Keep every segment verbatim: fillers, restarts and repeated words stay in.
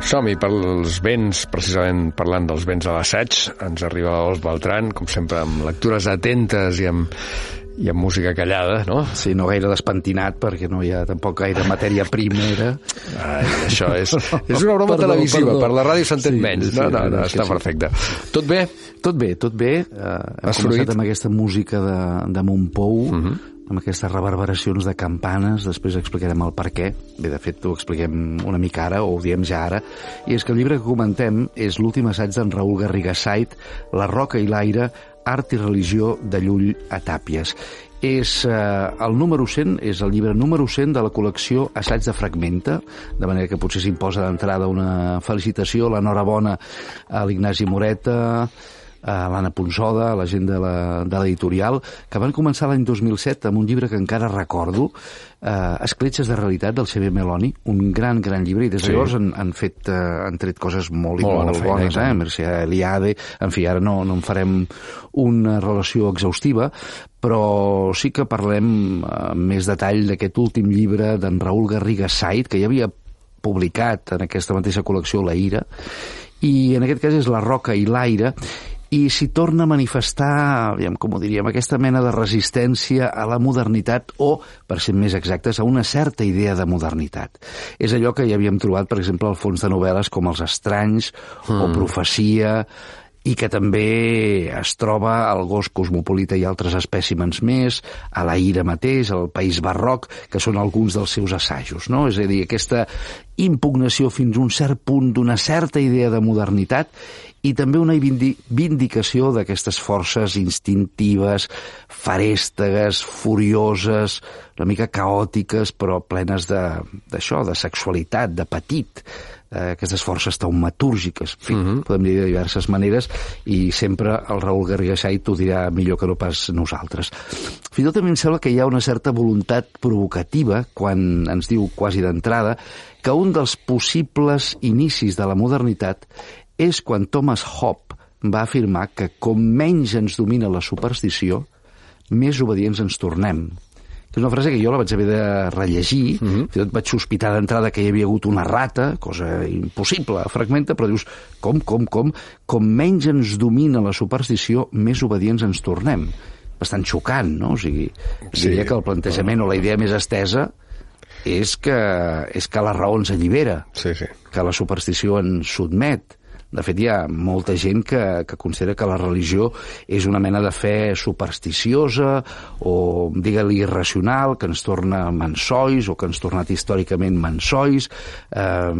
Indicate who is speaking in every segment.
Speaker 1: Som-hi pels vents, precisament parlant dels vents de l'assaig. Ens arriba l'Ols Beltran, com sempre, amb lectures atentes i amb, i amb música callada, no?
Speaker 2: Sí, no gaire despentinat, perquè no hi ha tampoc gaire matèria primera.
Speaker 1: Ai, això és, és una broma perdó, televisiva, perdó. Per la ràdio s'entén sí, menys. No, no, no, està sí. Perfecte. Tot bé?
Speaker 2: Tot bé, tot bé. Uh, hem
Speaker 1: Has
Speaker 2: començat
Speaker 1: fruit?
Speaker 2: Amb aquesta música de, de Montpou, uh
Speaker 1: -huh.
Speaker 2: amb aquestes reverberacions de campanes, després explicarem el per què. Bé, de fet, ho expliquem una mica ara, o ho diem ja ara, i és que el llibre que comentem és l'últim assaig d'en Raül Garriga Sait, La roca i l'aire, art i religió de Llull a Tàpies. És eh, el número cent, és el llibre número cent de la col·lecció Assaig de Fragmenta, de manera que potser s'imposa d'entrada una felicitació, l'enhorabona a l'Ignasi Moreta, a l'Anna Ponsoda, a la gent de l'editorial, que van començar l'any dos mil set amb un llibre que encara recordo, eh, Escletxes de realitat, del C B Meloni, un gran, gran llibre, i des de sí. llavors han, han, fet, eh, han tret coses molt, molt, molt feina, bones, eh? Mercè Eliade, en fi, ara no, no en farem una relació exhaustiva, però sí que parlem amb més detall d'aquest últim llibre d'en Raül Garriga Sait, que ja havia publicat en aquesta mateixa col·lecció La Ira, i en aquest cas és La roca i l'aire, i s'hi torna a manifestar, aviam, com ho diríem, aquesta mena de resistència a la modernitat o, per ser més exactes, a una certa idea de modernitat. És allò que ja havíem trobat, per exemple, al fons de novel·les com Els estranys mm. o Profecia, i que també es troba al Gos cosmopolita i altres espècimens més, a La Ira mateix, al País barroc, que són alguns dels seus assajos, no? És a dir, aquesta impugnació fins a un cert punt d'una certa idea de modernitat i també una vindicació d'aquestes forces instintives, farèstegues, furioses, una mica caòtiques, però plenes d'això, de, de sexualitat, d'apetit, eh, aquestes forces taumatúrgiques, en fi, uh -huh. podem dir de diverses maneres, i sempre el Raül Garriga Sait ho dirà millor que no pas nosaltres. Fins i tot a mi em sembla que hi ha una certa voluntat provocativa quan ens diu quasi d'entrada que un dels possibles inicis de la modernitat és quan Thomas Hobbes va afirmar que com menys ens domina la superstició, més obedients ens tornem. És una frase que jo la vaig haver de rellegir, uh -huh. fins i tot vaig sospitar d'entrada que hi havia hagut una rata, cosa impossible, fragmenta, però dius, com, com, com? Com menys ens domina la superstició, més obedients ens tornem. Bastant xocant, no? O sigui, sí, diria que el plantejament o la idea més estesa és que, és que la raó ens allibera,
Speaker 1: sí, sí.
Speaker 2: que la superstició ens sotmet. De fet, hi ha molta gent que, que considera que la religió és una mena de fe supersticiosa o, digue-li, irracional, que ens torna mansois o que ens ha tornat històricament mansois. Eh,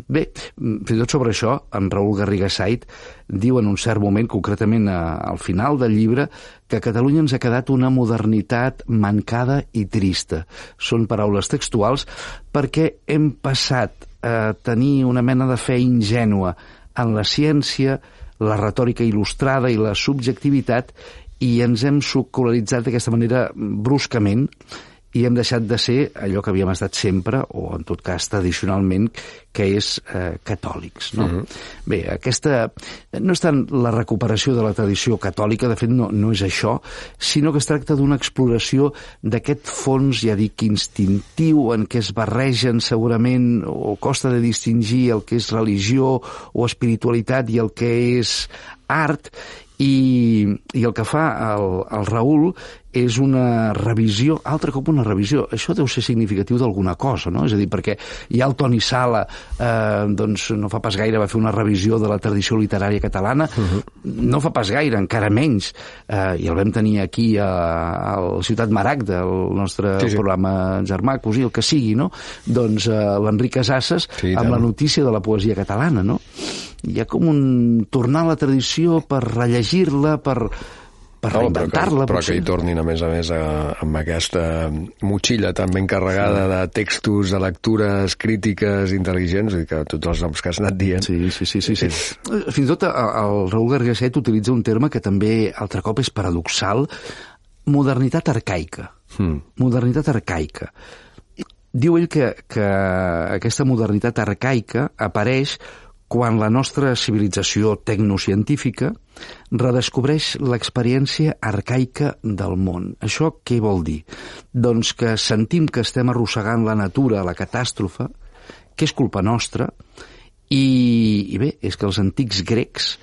Speaker 2: bé, fins i tot sobre això, en Raül Garriga Sait diu en un cert moment, concretament a, al final del llibre, que a Catalunya ens ha quedat una modernitat mancada i trista. Són paraules textuals, perquè hem passat a tenir una mena de fe ingènua en la ciència, la retòrica il·lustrada i la subjectivitat, i ens hem secularitzat d'aquesta manera bruscament i hem deixat de ser allò que havíem estat sempre, o en tot cas tradicionalment, que és eh, catòlics. No? Uh-huh. Bé, aquesta no és tant la recuperació de la tradició catòlica, de fet no, no és això, sinó que es tracta d'una exploració d'aquest fons, ja dic, instintiu, en què es barregen segurament, o costa de distingir el que és religió o espiritualitat i el que és art, i, i el que fa el, el Raül és una revisió, altre cop una revisió. Això deu ser significatiu d'alguna cosa, no? És a dir, perquè ja el Toni Sala, eh, doncs no fa pas gaire va fer una revisió de la tradició literària catalana, uh-huh. no fa pas gaire, encara menys, eh, i el vam tenir aquí a, a la Ciutat Maragda, el nostre sí, sí. programa germà, cosí, el que sigui, no? Doncs eh, l'Enric Casasses, sí, amb la notícia de la poesia catalana, no? Hi ha com un tornar a la tradició per rellegir-la, per, per no, reinventar-la.
Speaker 1: Però, que, però que hi tornin, a més a més, a, amb aquesta motxilla tan ben carregada sí. de textos, de lectures crítiques intel·ligents, i que tots els noms que has anat dient...
Speaker 2: Sí, sí, sí. sí, sí. És... Fins i tot el Raül Garriga Sait utilitza un terme que també, altre cop, és paradoxal, modernitat arcaica. Hmm. Modernitat arcaica. Diu ell que, que aquesta modernitat arcaica apareix quan la nostra civilització tecnocientífica redescobreix l'experiència arcaica del món. Això què vol dir? Doncs que sentim que estem arrossegant la natura a la catàstrofe, que és culpa nostra, I, i bé, és que els antics grecs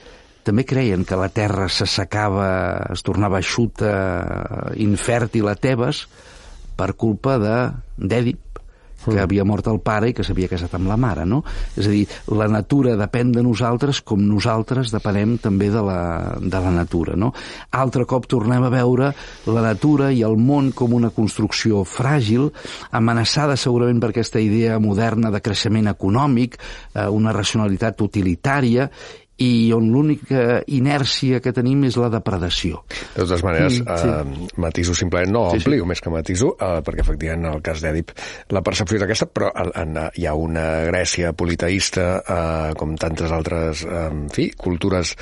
Speaker 2: també creien que la terra s'assecava, es tornava eixuta, infèrtil a Tebes, per culpa de d'Èdip, que mm. havia mort el pare i que s'havia casat amb la mare, no? És a dir, la natura depèn de nosaltres com nosaltres depenem també de la, de la natura, no? Altre cop tornem a veure la natura i el món com una construcció fràgil, amenaçada segurament per aquesta idea moderna de creixement econòmic, eh, una racionalitat utilitària, i on l'única inèrcia que tenim és la depredació.
Speaker 1: De totes maneres, mm, sí. eh, matiso simplement, no
Speaker 2: sí,
Speaker 1: amplio
Speaker 2: sí.
Speaker 1: més que matiso, eh, perquè efectivament en el cas d'Èdip la percepció és aquesta, però en, en, hi ha una Grècia politeïsta, eh, com tantes altres, eh, en fi, cultures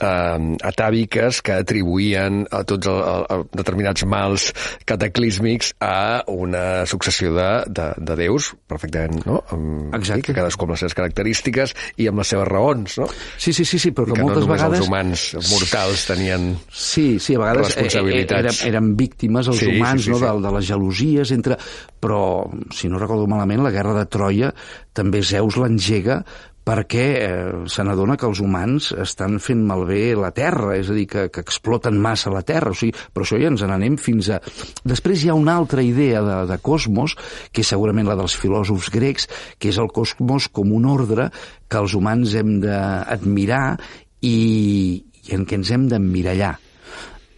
Speaker 1: eh, atàviques que atribuïen a tots el, el, el determinats mals cataclísmics a una successió de, de, de déus, perfectament, no? Amb,
Speaker 2: Exacte.
Speaker 1: Sí, que cadascú amb les seves característiques i amb les seves raons, no?
Speaker 2: Sí, sí, sí, sí, però que moltes
Speaker 1: no
Speaker 2: vegades...
Speaker 1: els humans mortals tenien
Speaker 2: sí, sí, a vegades
Speaker 1: responsabilitats.
Speaker 2: Eren, eren víctimes els
Speaker 1: sí,
Speaker 2: humans,
Speaker 1: sí, sí,
Speaker 2: no,
Speaker 1: sí.
Speaker 2: De, de les gelosies entre... Però, si no recordo malament, la guerra de Troia també Zeus l'engega perquè eh, se n'adona que els humans estan fent malbé la Terra, és a dir, que, que exploten massa la Terra, o sigui, però això ja ens n'anem fins a... Després hi ha una altra idea de, de cosmos, que és segurament la dels filòsofs grecs, que és el cosmos com un ordre que els humans hem d'admirar i, i en què ens hem d'emmirallar.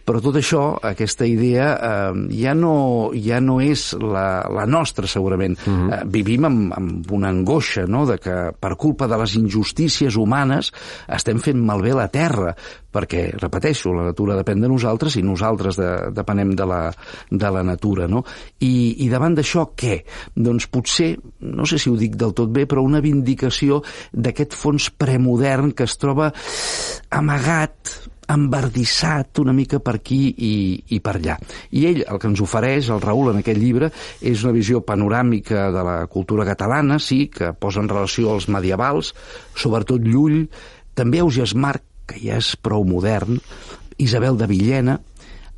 Speaker 2: Però tot això, aquesta idea, eh, ja, no, ja no és la, la nostra, segurament. Uh-huh. Eh, vivim amb, amb una angoixa, no?, de que per culpa de les injustícies humanes estem fent malbé la Terra, perquè, repeteixo, la natura depèn de nosaltres i nosaltres de, depenem de la, de la natura, no? I, i davant d'això, què? Doncs potser, no sé si ho dic del tot bé, però una vindicació d'aquest fons premodern que es troba amagat, embardissat una mica per aquí i, i per allà. I ell, el que ens ofereix, el Raül, en aquest llibre, és una visió panoràmica de la cultura catalana, sí, que posa en relació als medievals, sobretot Llull, també Ausiàs March, que ja és prou modern, Isabel de Villena,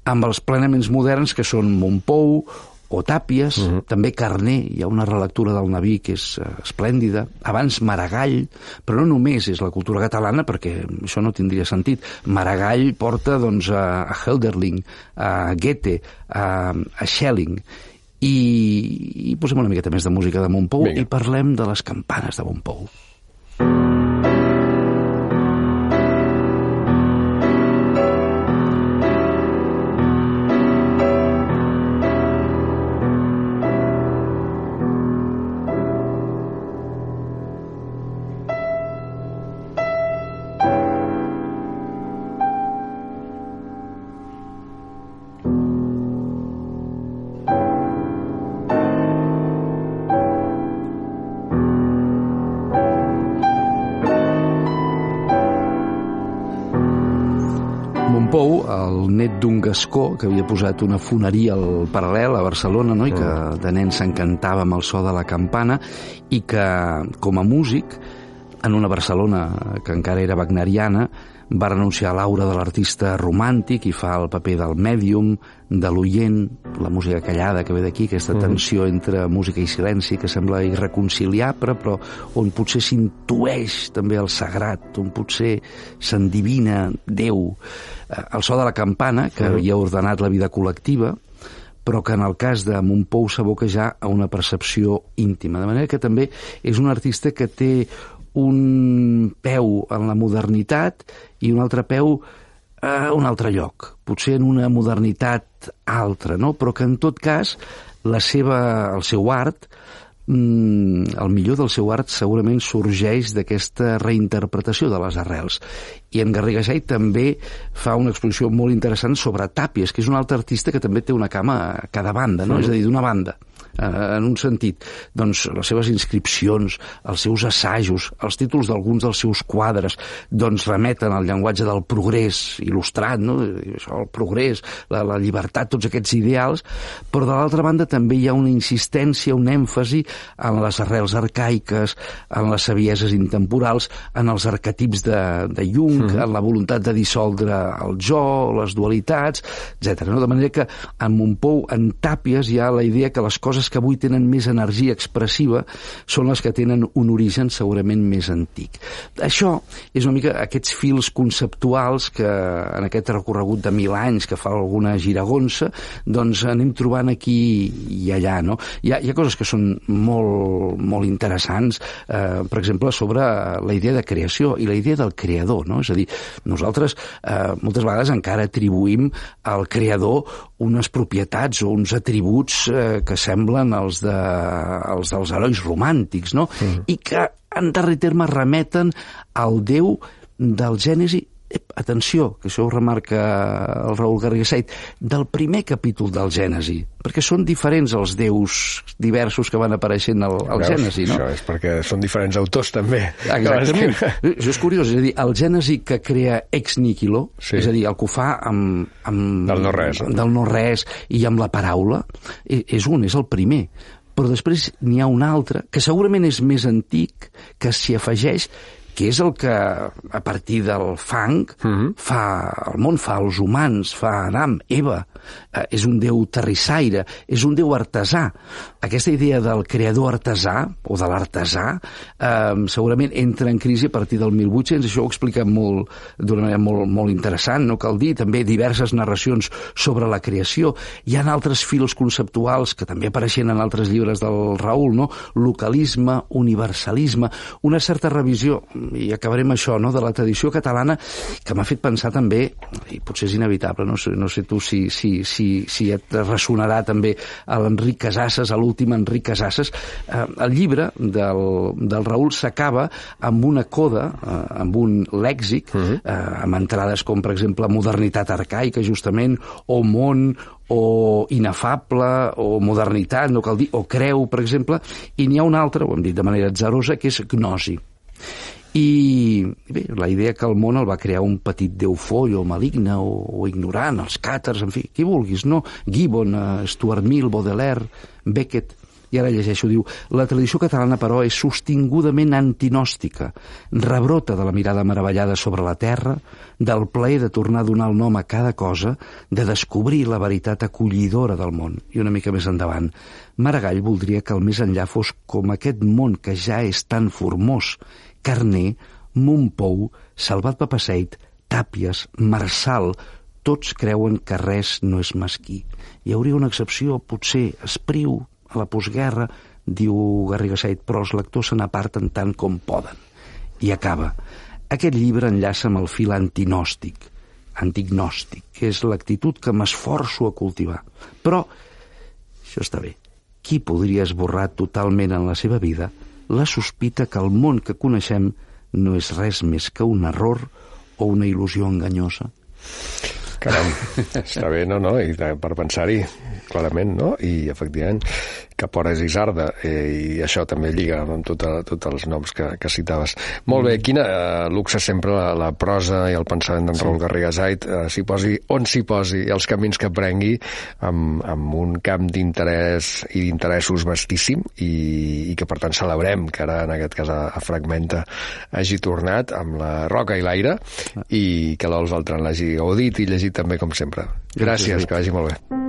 Speaker 2: amb els plenaments moderns que són Montpou o Tàpies, uh-huh. també Carner, hi ha una relectura del Naví que és uh, esplèndida, abans Maragall, però no només és la cultura catalana, perquè això no tindria sentit. Maragall porta doncs, a, a Hölderlin, a Goethe, a, a Schelling, i, i posem una miqueta més de música de Montpou Vinga. I parlem de les campanes de Montpou. Montpou, el net d'un gascó que havia posat una foneria al Paral·lel a Barcelona, no? I que de nen s'encantava amb el so de la campana i que, com a músic, en una Barcelona que encara era wagneriana, va renunciar a l'aura de l'artista romàntic i fa el paper del mèdium, de l'oient, la música callada que ve d'aquí, aquesta tensió entre música i silenci que sembla irreconciliable, però on potser s'intueix també el sagrat, on potser s'endivina Déu. El so de la campana, que havia ordenat la vida col·lectiva, però que en el cas de Montpou s'aboca ja a una percepció íntima. De manera que també és un artista que té un peu en la modernitat i un altre peu a un altre lloc, potser en una modernitat altra, no? Però que en tot cas la seva, el seu art, el millor del seu art segurament sorgeix d'aquesta reinterpretació de les arrels. I en Garrigasai també fa una exposició molt interessant sobre Tàpies, que és un altre artista que també té una cama a cada banda, no? Mm. És a dir, d'una banda, en un sentit, doncs les seves inscripcions, els seus assajos, els títols d'alguns dels seus quadres, doncs remeten al llenguatge del progrés il·lustrat, no? Això, el progrés, la, la llibertat, tots aquests ideals, però de l'altra banda també hi ha una insistència, un èmfasi en les arrels arcaiques, en les savieses intemporals, en els arquetips de, de Jung, mm. en la voluntat de dissoldre el jo, les dualitats, etcètera. No? De manera que en Montpou, en Tàpies, hi ha la idea que les coses coses que avui tenen més energia expressiva són les que tenen un origen segurament més antic. Això és una mica aquests fils conceptuals que en aquest recorregut de mil anys que fa alguna giragonsa, doncs anem trobant aquí i allà, no? Hi ha, hi ha coses que són molt, molt interessants, eh, per exemple, sobre la idea de creació i la idea del creador, no? És a dir, nosaltres eh, moltes vegades encara atribuïm al creador unes propietats o uns atributs eh, que semblen els, de, els dels herois romàntics, no? Mm. I que, en darrer terme, remeten al Déu del Gènesi. Ep, atenció, que això ho remarca el Raül Garriga Said, del primer capítol del Gènesi, perquè són diferents els déus diversos que van apareixent al, al Gènesi, no?
Speaker 1: Això és perquè són diferents autors, també.
Speaker 2: Exactament. Això és curiós, és a dir, el Gènesi que crea ex nihilo, sí. És a dir, el que ho fa amb... amb
Speaker 1: del no-res.
Speaker 2: Del no-res i amb la paraula, és un, és el primer. Però després n'hi ha un altre, que segurament és més antic, que s'hi afegeix, que és el que, a partir del fang, uh-huh. fa el món, fa els humans, fa Adam, Eva. Eh, és un déu terrissaire, és un déu artesà. Aquesta idea del creador artesà, o de l'artesà, eh, segurament entra en crisi a partir del mil vuit-cents, això ho explica molt, d'una manera molt, molt interessant, no cal dir, també diverses narracions sobre la creació. Hi ha altres fils conceptuals que també apareixen en altres llibres del Raül, no? Localisme, universalisme, una certa revisió, i acabarem això, no?, de la tradició catalana, que m'ha fet pensar també, i potser és inevitable, no sé, no sé tu si, si, si, si et ressonarà també a l'Enric Casasses, a l'últim Enric Casasses. Eh, el llibre del, del Raül s'acaba amb una coda, eh, amb un lèxic, uh-huh. eh, amb entrades com, per exemple, modernitat arcaica, justament, o món, o inefable, o modernitat, no cal dir, o creu, per exemple, i n'hi ha una altra, ho hem dit de manera atzarosa, que és gnosi. I bé, la idea que el món el va crear un petit déu foll o maligne o, o ignorant, els càtars, en fi, qui vulguis, no? Gibbon, uh, Stuart Mill, Baudelaire, Beckett. I ara llegeixo, diu, la tradició catalana, però, és sostingudament antinòstica, rebrota de la mirada meravellada sobre la terra, del plaer de tornar a donar el nom a cada cosa, de descobrir la veritat acollidora del món. I una mica més endavant, Maragall voldria que el més enllà fos com aquest món que ja és tan formós, Carner, Montpou, Salvat Papasseit, Tàpies, Marçal, tots creuen que res no és mesquí. Hi hauria una excepció, potser, Espriu, a la postguerra, diu Garriga Said, però els lectors se n'aparten tant com poden. I acaba. Aquest llibre enllaça amb el fil antinòstic, antignòstic, que és l'actitud que m'esforço a cultivar. Però, això està bé, qui podria esborrar totalment en la seva vida la sospita que el món que coneixem no és res més que un error o una il·lusió enganyosa?
Speaker 1: Caram, està bé, no, no? I per pensar-hi, clarament, no? I, efectivament, Capores i Isarda, eh, i això també lliga amb tots tot els noms que, que citaves. Molt bé, quina eh, luxe sempre la, la prosa i el pensament d'en sí. Raül Garriga Said, eh, s'hi posi on s'hi posi, els camins que prengui, amb, amb un camp d'interès i d'interessos vastíssim, i, i que, per tant, celebrem que ara, en aquest cas, a, a Fragmenta hagi tornat amb la Roca i l'aire, i que l'Ols Beltran l'hagi gaudit i llegit també, com sempre. Gràcies, Gràcies que vagi molt bé.